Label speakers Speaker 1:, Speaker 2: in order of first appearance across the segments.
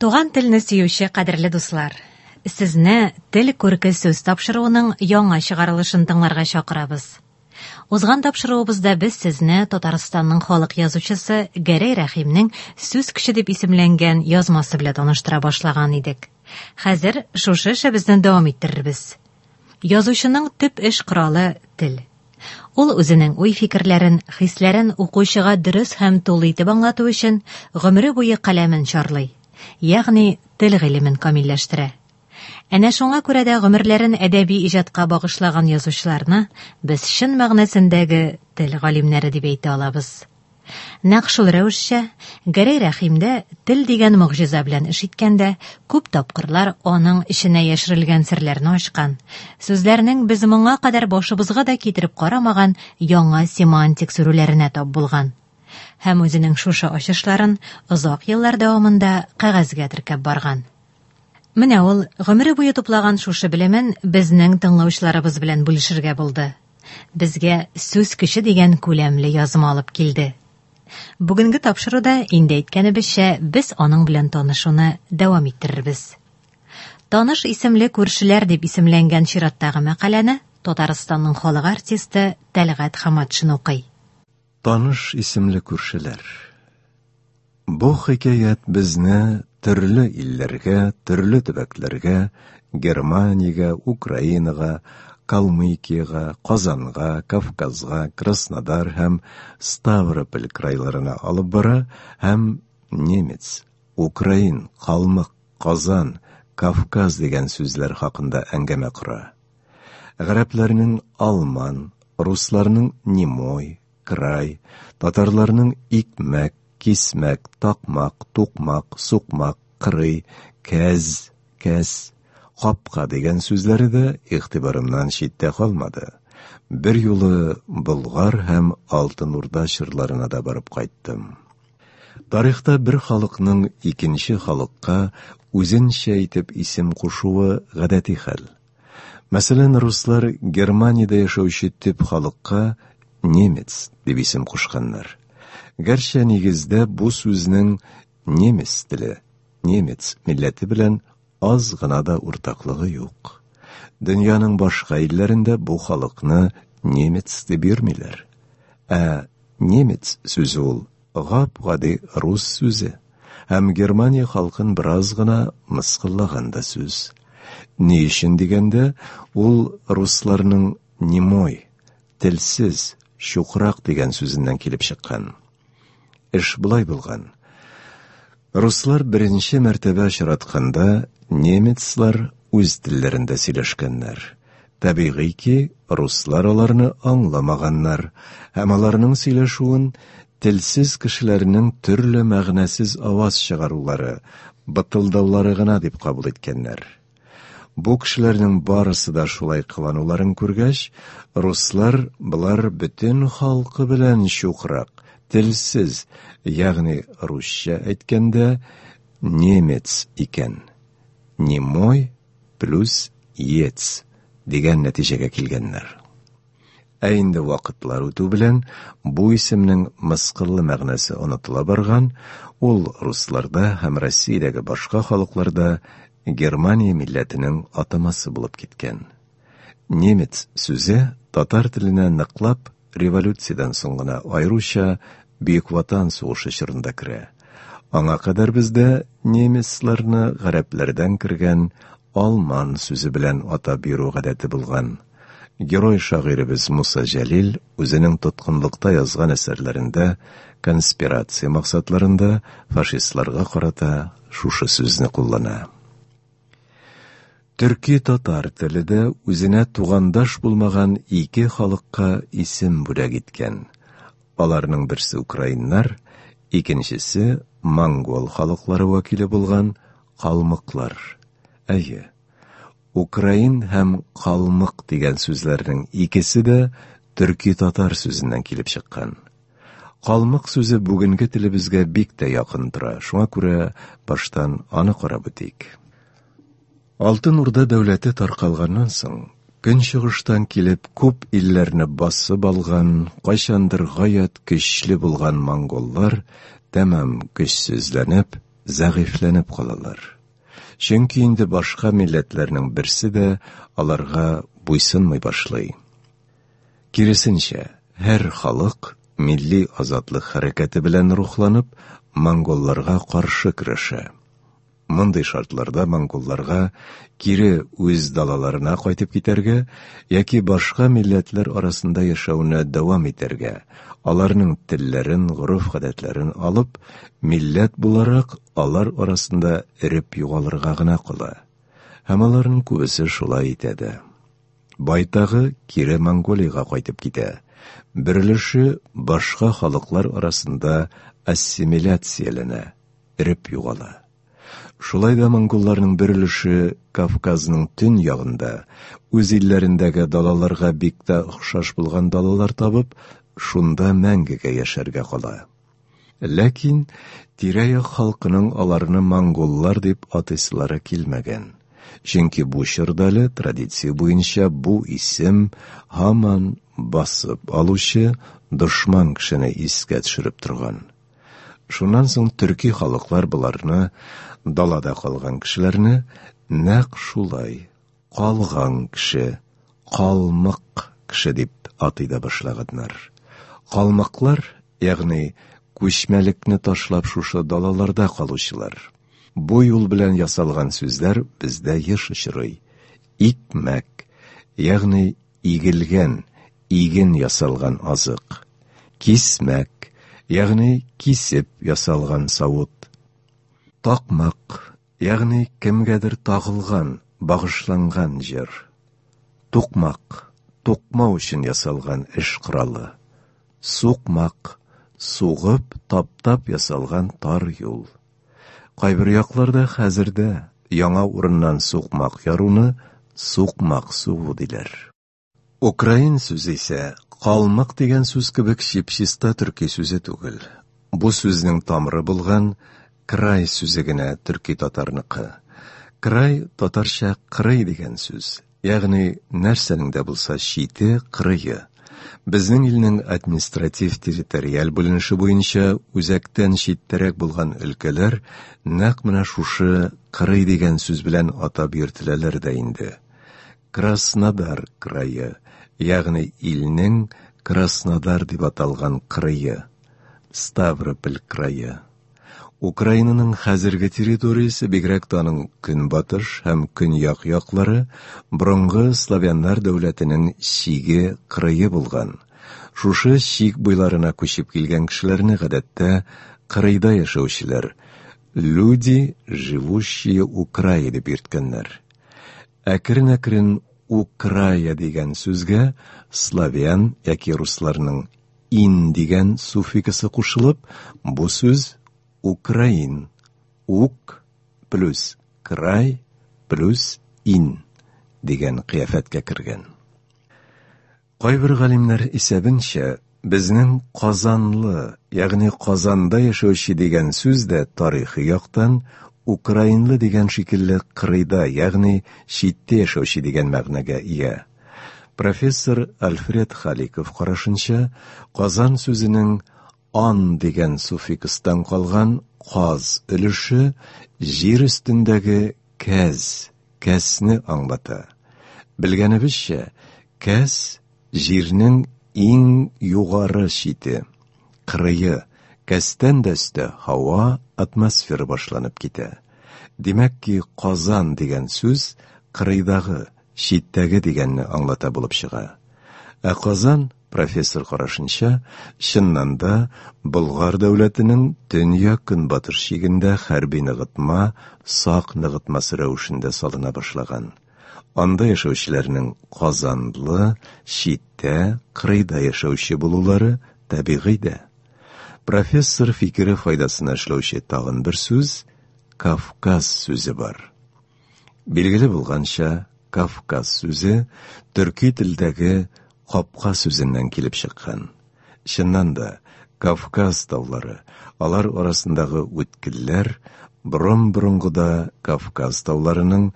Speaker 1: Туган телне сөюче кадерле дуслар, сезне Тел күрке сүз тапшыруының яңа чыгарылышын тыңларга чакырабыз. Узган тапшыруыбызда без сезне Татарстанның халык язучысы Гәрәй Рәхимнең Сүз көче дип исемләнгән язмасы белән таныштыра башлаган идек. Хәзер шушы эшебезне дәвам иттерербез. Язучының төп эш коралы тел. Ул үзенең уй-фикерләрен, хисләрен укучыга дөрес һәм тулы итеп аңлату өчен гомере буе каләмен чарлый, ягъни тел гыйлемен камилләштерә. Әнә шуңа күрә дә гомерләрен әдәби иҗатка багышлаган язучыларны без чын мәгънәсендәге тел галимнәре дип әйтә алабыз. Нәкъ шул рәвешчә, Гәрәй Рәхим дә тел дигән могҗиза белән эш иткәндә, күп тапкырлар аның эченә яшерелгән серләрне ачкан, сүзләрнең без моңа кадәр башыбызга да китереп карамаган яңа семантик сүрүләренә тап булган. Һәм үзенең шушы ачышларын озак еллар дәвамында кәгазьгә теркәп барган. Менә ул гомере буе туплаган шушы белемен безнең тыңлаучыларыбыз белән бүлешергә булды. Безгә Сүз көче дигән күләмле язма алып килде. Бүгенге тапшыруда, инде әйткәнебезчә, без аның белән танышуны дәвам иттерербез. Таныш исемле күршеләр дип исемләнгән чираттагы мәкаләне Татарстанның халык артисты Тәлгать Хаматшин укый.
Speaker 2: Таныш исемле күршеләр. Бу хикәят безне төрле илләргә, төрле төбәкләргә, Германиягә, Украинага, Калмыкиягә, Казанга, Кавказга, Краснодар һәм Ставрополь крайларына алып бара һәм немец, украин, калмык, Казан, Кавказ дигән сүзләр хакында әңгәмә кора. Гарәпләрнең алман, русларның немой, край, татарларның икмәк, кисмәк, такмак, тукмак, сукмак, кырый, кәз, кәс, капка дигән сүзләре дә игътибарымнан читтә калмады. Бер юлы Болгар һәм Алтын Урда чорларына да барып кайттым. Тарихта бер халыкның икенче халыкка үзенчә итеп исем кушуы гадәти хәл. Мәсәлән, руслар Германиядә яшәүче төп халыкка немец дип исем кушканнар. Гәрчә нигездә бу сүзнең немец теле, немец милләте белән аз гына да уртаклыгы юк. Дөньяның башка илләрендә бу халыкны немец дип йөрмиләр. Ә немец сүзе ул гап-гади рус сүзе һәм Германия халкын бераз гына мыскыллаган да сүз. Ни өчен дигәндә, ул русларның немой, телсез, чукрак дигән сүзеннән килеп чыккан. Эш болай булган. Руслар беренче мәртәбә очратканда немецлар үз телләрендә сөйләшкәннәр. Табигый ки, руслар аларны аңламаганнар һәм аларның сөйләшүен телсез кешеләрнең төрле мәгънәсез аваз чыгарулары, бытылдаулары гына дип кабул иткәннәр. Бу кешеләрнең барысы да шулай кылануларын күргәч, руслар болар бөтен халкы белән чукрак, телсез, ягъни русча әйткәндә, немец икән. Немой плюс ец дигән нәтиҗәгә килгәннәр. Ә инде вакытлар үтү белән бу исемнең мыскыллы мәгънәсе онытыла барган, ул русларда һәм Россиядәге башка халыкларда Германия милләтенең атамасы булып киткән. Немец сүзе татар теленә ныклап революциядән соң гына, аеруча Бөек Ватан сугышы чорында керә. Аңа кадәр бездә немецларны гарәпләрдән кергән алман сүзе белән атап йөрү гадәте булган. Герой шагыйребез Муса Җәлил үзенең тоткынлыкта язган әсәрләрендә конспирация максатларында фашистларга карата шушы сүзне куллана. Төрки-татар теле дә үзенә тугандаш булмаган ике халыкка исем бүләк иткән. Аларның берсе украиннар, икенчесе монгол халыклары вәкиле булган калмыклар. Әйе, украин һәм калмык дигән сүзләрнең икесе дә төрки-татар сүзеннән килеп чыккан. Калмык сүзе бүгенге телебезгә бик тә якын тора, шуңа күрә баштан аны карап үтик. Алтын Урда дәүләте таркалганнан соң, көнчыгыштан килеп күп илләрне басып алган, кайчандыр гаять көчле булган монголлар тәмам көчсезләнеп, зәгыйфьләнеп калалар. Чөнки инде башка милләтләрнең берсе дә аларга буйсынмый башлый. Киресенчә, һәр халык милли азатлык хәрәкәте белән рухланып, монголларга каршы көрәшә. Мондый шартларда монголларга кире үз далаларына кайтып китәргә яки башка милләтләр арасында яшәүне дәвам итәргә, аларның телләрен, гореф-гадәтләрен алып, милләт буларак алар арасында эреп югалырга гына кала. Һәм аларның күбесе шулай итә дә. Байтагы кире Монголиягә кайтып китә. Бер өлеше башка халыклар арасында ассимиляцияләнә, эреп югала. Шулай да монголларның бер өлеше Кавказның төньягында, үз илләрендәге далаларга бик тә охшаш булган далалар табып, шунда мәңгегә яшәргә кала. Ләкин тирә-як халкының аларны монголлар дип атыйсылары килмәгән. Чөнки бу чорда әле традиция буенча бу исем һаман басып алучы дошман кешене искә төшереп торган. Шуннан соң төрки халыклар боларны, далада калган кешеләрне, нәкъ шулай, калган кеше, калмык кеше дип атый да башлаганнар. Калмыклар, ягъни күчмәлекне ташлап шушы далаларда калучылар. Бу юл белән ясалган сүзләр бездә еш очрый. Икмәк, ягъни игелгән, иген ясалган азык. Кисмәк, ягъни кисеп ясалган савыт. Такмак, ягъни кемгәдер тагылган, багышланган җыр. Тукмак, тукмау өчен ясалган эш коралы. Сукмак, сугып, таптап ясалган тар юл. Кайбер якларда хәзер дә яңа урыннан сукмак яруны сукмак сугу диләр. Украин сүзе исә калмык дигән сүз кебек чип-чиста төрки сүзе түгел. Бу сүзнең тамыры булган край сүзе генә төрки татарныкы. Край татарча кырый дигән сүз, ягъни нәрсәнең дә булса чите, кырые. Безнең илнең административ-территориаль бүленеше буенча үзәктән читтәрәк булган өлкәләр нәкъ менә шушы кырый дигән сүз белән атап йөртеләләр дә инде. Краснодар крае, ягъни илнең Краснодар дип аталган кырые, Ставрополь крае. Украинаның хәзерге территориясе, бигрәк тә аның көнбатыш һәм көньяк яклары, борынгы славяннар дәүләтенең чиге, кырые булган. Шушы чик буйларына күчеп килгән кешеләрне гадәттә кырыйда яшәүчеләр, люди, живущие у края дип йөрткәннәр. Әкрен-әкрен украя дигән сүзгә славян яки русларның ин дигән суффиксы кушылып, бу сүз украин, ук плюс край плюс ин дигән кыяфәткә кергән. Кайбер галимнәр исәбенчә, безнең Казанлы, ягъни Казанда яшәүче дигән сүз дә тарихи яктан украинлы дигән шикелле кырыйда, ягъни читтә яшәүче дигән мәгънәгә ия. Профессор Альфред Халиков карашынча, Казан сүзенең ан дигән суффикстан калган каз өлеше җир өстендәге кәз, кәсне аңлата. Белгәнебезчә, кәс җирнең иң югары чите, кырые, кәстән дә өстә һава, атмосфера башланып китә. Димәк ки, Казан дигән сүз кырыйдагы, читтәге дигәнне аңлата булып чыга. Ә Казан, профессор карашынча, чыннан да Болгар дәүләтенең төньяк-көнбатыш чигендә хәрби ныгытма, сак ныгытмасы рәвешендә салына башлаган. Анда яшәүчеләрнең Казанлы, читтә, кырыйда яшәүче булулары табигый дә. Профессор фикере файдасына эшләүче тагын бер сүз, Кавказ сүзе бар. Билгеле булганча, Кавказ сүзе төрки телдәге капка сүзеннән килеп чыккан. Чыннан да, Кавказ таулары, алар арасындагы үткелләр борын-борынгыда Кавказ тауларының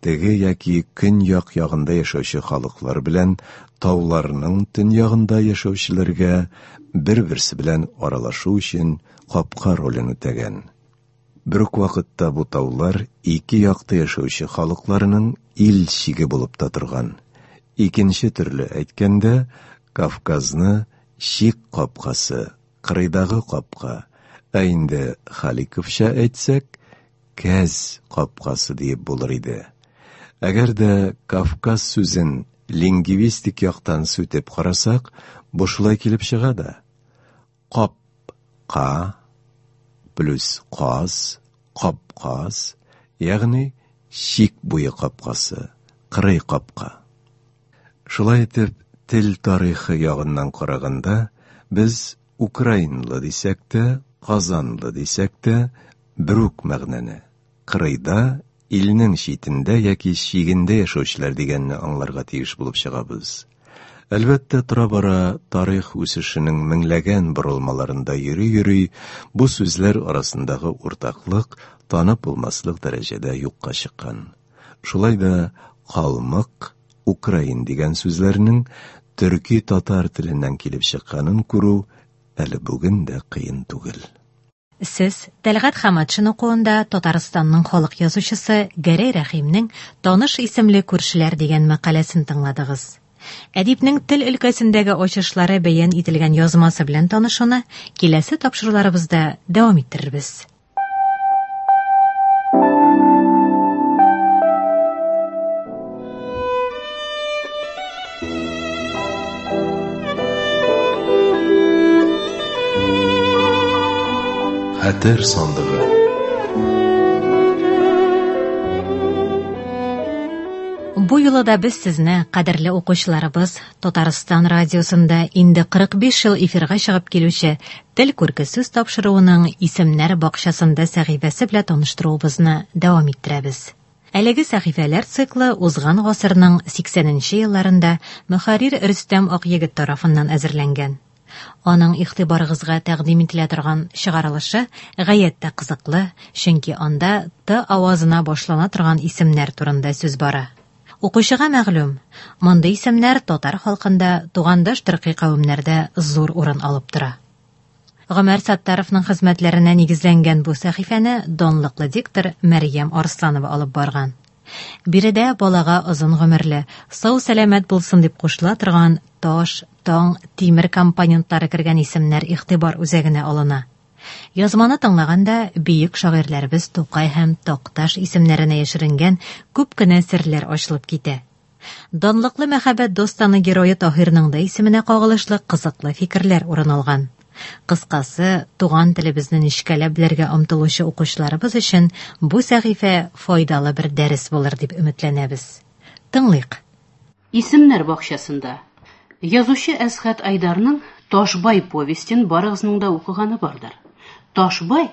Speaker 2: теге яки көньяк ягында яшәүче халыклар белән тауларның төньягында яшәүчеләргә бер-берсе белән аралашу өчен капка ролен үтәгән. Бер үк вакытта бу таулар ике якта яшәүче халыкларның ил чиге булып та торган. Икенче төрле әйткәндә, Кавказны чик капкасы, кырыйдагы капка, ә инде Халиковча әйтсәк, Кәз капкасы диеп булыр иде. Әгәр дә Кавказ сүзен лингвистик яктан сүтеп карасак, бу шулай килеп чыга да. Кап-ка плюс каз, капказ, ягъни чик буе капкасы, кырый капка. Шулай итеп, тел тарихы ягыннан караганда, без украинлы дисәк тә, казанлы дисәк тә, бер үк мәгънәне, кырыйда, илнең читендә яки чигендә яшәүчеләр дигәнне аңларга тиеш булып чыгабыз. Әлбәттә, тора-бара тарих үсешенең меңләгән борылмаларында йөри-йөри, бу сүзләр арасындагы уртаклык танып булмаслык дәрәҗәдә юкка чыккан. Шулай да калмык, украин дигән сүзләрнең төрки-татар теленнән килеп чыкканын күрү әле бүген дә кыен түгел.
Speaker 1: Сез Тәлгать Хаматшин укуында Татарстанның халык язучысы Гәрәй Рәхимнең Таныш исемле күршеләр дигән мәкаләсен тыңладыгыз. Әдипнең тел өлкәсендәге ачышлары бәян ителгән язмасы белән танышуны киләсе тапшыруларыбызда дәвам иттерербез.
Speaker 2: Хәтер сандыгы.
Speaker 1: Бу юлы да без сезне, кадерле укучыларыбыз, Татарстан радиосында инде 45 ел эфирга чыгып килүче Тел күрке сүз тапшыруының Исемнәр бакчасында сәхифәсе белән таныштыруыбызны дәвам иттерәбез. Әлеге сәхифәләр циклы узган гасырның 80 нче елларында мөхәррир Рөстәм Акъегет тарафыннан әзерләнгән. Аның игътибарыгызга тәкъдим ителә торган чыгарылышы гаять тә кызыклы, чөнки анда Т авазына башлана торган исемнәр турында сүз бара. Укучыга мәгълүм, мондый исемнәр татар халкында тугандаш төрки кавемнәрдә зур урын алып тора. Гомәр Саттаровның хезмәтләренә нигезләнгән бу сәхифәне данлыклы диктор Мәрьям Арсланова алып барган. Биредә балага озын гомерле, сау-сәламәт булсын дип кушыла торган таш, таң, тимер компонентлары кергән исемнәр игътибар үзәгенә алына. Язманы тыңлаганда бөек шагыйрьләребез Тукай һәм Такташ исемнәренә яшеренгән күп кенә серләр ачылып китә. Данлыклы мәхәббәт достаны герое Таһирның да исеменә кагылышлы кызыклы фикерләр урын алган. Кыскасы, туган телебезне нечкәләп белергә омтылучы укучыларыбыз өчен бу сәхифә файдалы бер дәрес булыр дип өметләнәбез. Тыңлыйк.
Speaker 3: Исемнәр бакчасында. Язучы Әсхәт Айдарның Ташбай повестен барыгызның да укыганы бардыр. Ташбай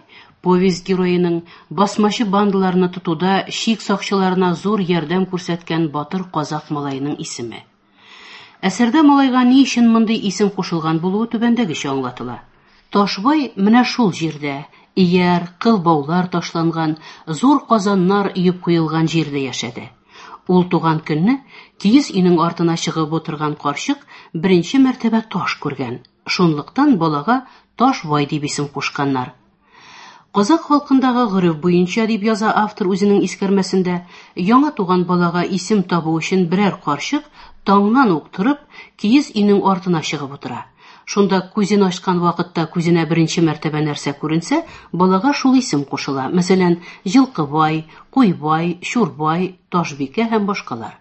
Speaker 3: повесть героеның басмачы бандаларны тотуда чик сакчыларына зур ярдәм күрсәткән батыр казак малаеның исеме. Әсәрдә малайга ни өчен мондый исем кушылган булуы түбәндәгечә аңлатыла. Ташбай менә шул җирдә, ияр, кыл баулар ташланган, зур казаннар өеп куелган җирдә яшәде. Ул туган көнне киез өйнең артына чыгып утырган карчык беренче мәртәбә таш күргән. Шунлыктан балага Ташбай дип исем кушканнар. Казак халкындагы гореф буенча, дип яза автор үзенең искәрмәсендә, яңа туган балага исем табу өчен берәр карчык таңнан ук торып, киез өйнең артына чыгып утыра. Шунда күзен ачкан вакытта күзенә беренче мәртәбә нәрсә күренсә, балага шул исем кушыла. Мәсәлән, Җылкыбай, Куйбай, Чурбай, Ташбикә һәм башкалар.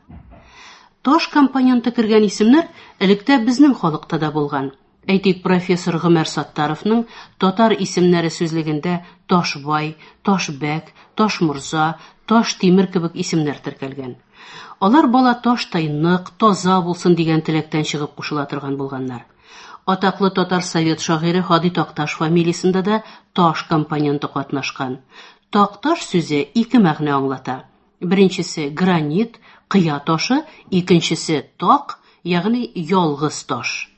Speaker 3: Таш компоненты кергән исемнәр электә безнең халыкта да булган. Әйтик, профессор Гомәр Саттаровның Татар исемнәре сүзлегендә Ташбай, Ташбәк, Ташморза, Таштимер кебек исемнәр теркәлгән. Алар бала таштай нык, таза булсын дигән теләктән чыгып кушыла торган булганнар. Атаклы татар совет шагыйре Һади Такташ фамилиясендә дә таш компоненты катнашкан. Такташ сүзе ике мәгънә аңлата. Беренчесе гранит, кыя ташы, икенчесе так, ягъни ялгыз таш.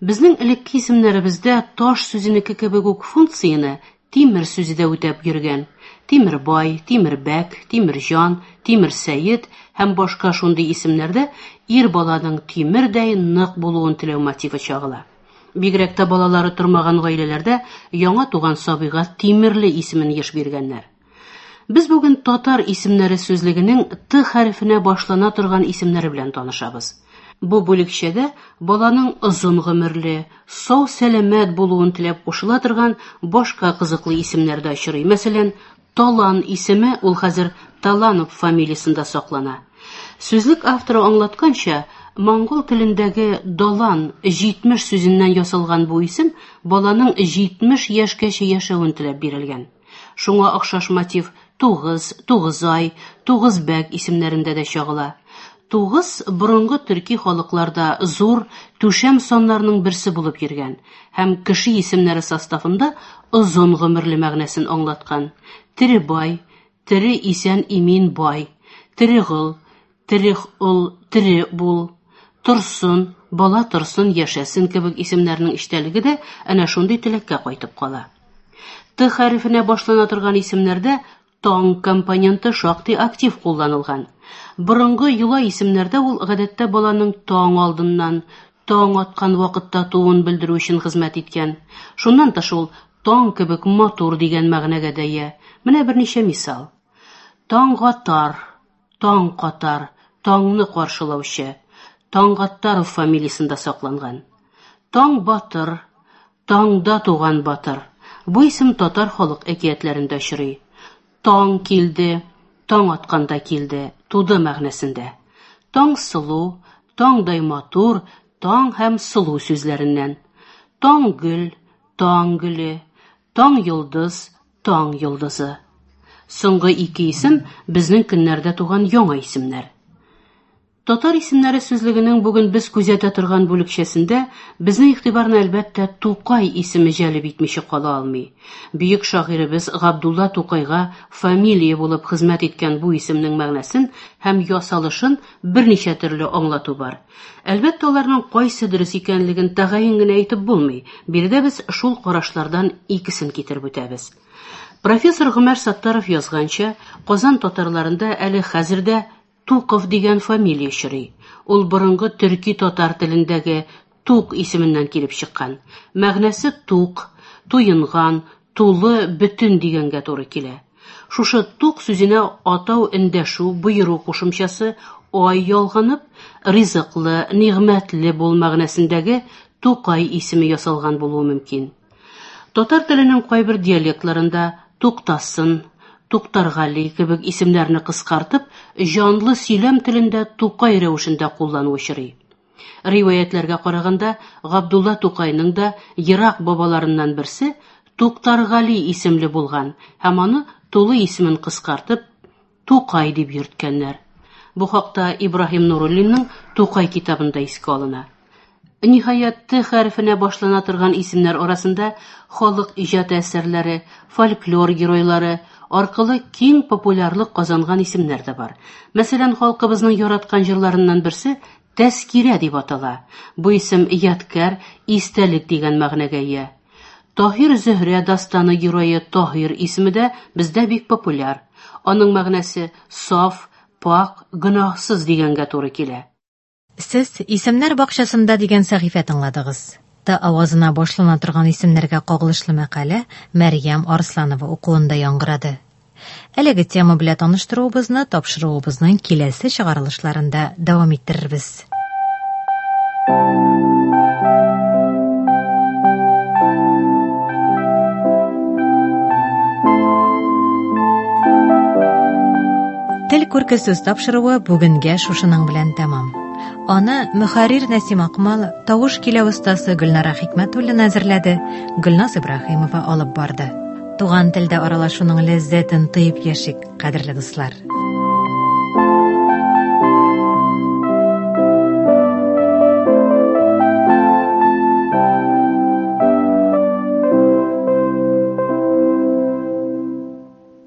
Speaker 3: Безнең элекке исемнәребездә таш сүзенеке кебек үк функцияне тимер сүзе дә үтәп йөргән. Тимербай, Тимербәк, Тимерҗан, Тимерсәет һәм башка шундый исемнәрдә ир баланың тимердәй нык булуын теләү мотивы чагыла. Бигрәк тә балалары тормаган гаиләләрдә яңа туган сабыйга Тимерле исемен еш биргәннәр. Без бүген татар исемнәре сүзлегенең Т хәрефенә башлана торган исемнәре белән танышабыз. Бу бүлекчәдә баланың озын гомерле, сау-сәламәт булуын теләп кушыла торган башка кызыклы исемнәр дә очрый. Мәсәлән, Талан исеме ул хәзер Таланов фамилиясендә саклана. Сүзлек авторы аңлатканча, монгол телендәге далан 70 сүзеннән ясалган бу исем баланың 70 яшькәчә яшәвен теләп бирелгән. Шуңа охшаш мотив Тугыз, Тугызай, Тугызбәк исемнәрендә дә чагыла. Тугыз борынгы төрки халыкларда зур, түшәм саннарның берсе булып йөргән һәм кеше исемнәре составында озын гомерле мәгънәсен аңлаткан. Тере бай, тере исән имин бай, тере гол, тере ул, тере бул, торсын, бала торсын, яшәсен кебек исемнәрнең эчтәлеге дә әнә шундый теләккә кайтып кала. Т хәрефенә башлана торган исемнәрдә таң компоненты шактый актив кулланылган. Борынгы йола исемнәрдә ул гадәттә баланың таң алдыннан, таң аткан вакытта тууын белдерү өчен хезмәт иткән. Шуннан тыш ул таң кебек матур дигән мәгънәгә дә ия. Менә берничә мисал. Таңгатар, таң катар, таңны каршылаучы. Таңгаттаров фамилиясендә сакланган. Таң батыр, таңда туган батыр. Бу исем татар халык әкиятләрендә очрый. Таң килде, таң атканда килде, туды мәгънәсендә. Таң сылу, таңдай матур, таң һәм сылу сүзләреннән. Таң гөл, таң гөле, таң йолдыз, таң йолдызы. Соңгы ике исем безнең көннәрдә туган яңа исемнәр. Татар исемнәре сүзлегенең бүген без күзәтә торган бүлекчәсендә безнең игътибарны әлбәттә Тукай исеме җәлеп итмичә кала алмый. Бөек шагыйребез Габдулла Тукайга фамилия булып хезмәт иткән бу исемнең мәгънәсен һәм ясалышын берничә төрле аңлату бар. Әлбәттә, аларның кайсы дөрес икәнлеген тәгаен генә әйтеп булмый. Биредә без шул карашлардан икесен китереп үтәбез. Профессор Гомәр Саттаров язганча, Казан татарларында әле хәзер дә Туков дигән фамилия очрый. Ул борынгы төрки-татар телендәге Тук исеменнән килеп чыккан. Мәгънәсе тук, туенган, тулы, бөтен дигәнгә туры килә. Шушы тук сүзенә атау эндәшү, боеру кушымчасы ай ялганып, ризыклы, нигъмәтле бул мәгънәсендәге Тукай исеме ясалган булуы мөмкин. Татар теленең кайбер диалектларында Туктасын, Туктаргали кебек исемнәрне кыскартып, җанлы сөйләм телендә Тукай рәвешендә куллану очрый. Риваятьләргә караганда, Габдулла Тукайның да ерак бабаларыннан берсе Туктаргали исемле булган һәм аны тулы исемен кыскартып, Тукай дип йөрткәннәр. Бу хакта Ибраһим Нуруллинның Тукай китабында искә алына. Ниһаять, Т хәрефенә башлана торган исемнәр арасында халык иҗаты әсәрләре, фольклор геройлары аркылы киң популярлык казанган исемнәр дә бар. Мәсәлән, халкыбызның яраткан җырларыннан берсе Тәзкирә дип атала. Бу исем ядкәр, истәлек дигән мәгънәгә ия. Таһир Зөһрә дастаны герое Таһир исеме дә бездә бик популяр. Аның мәгънәсе саф, пакь, гөнаһсыз дигәнгә туры килә.
Speaker 1: Сез Исемнәр бакчасында дигән сәхифә тыңладыгыз. Т авазына башлана торган исемнәргә кагылышлы мәкалә Мәрьям Арсланова укуында яңгырады. Әлеге тема белән таныштыруыбызны тапшыруыбызның киләсе чыгарылышларында дәвам иттерербез. Тел күрке сүз тапшыруы бүгенгә шушының белән тәмам. Аны мөхәррир Нәсим Акмал, тавыш киләү остасы Гөлнара Хикмәтуллина әзерләде, Гөлназ Ибраһимова алып барды. Туган телдә аралашуның ләззәтен тоеп яшик, кадерле дуслар.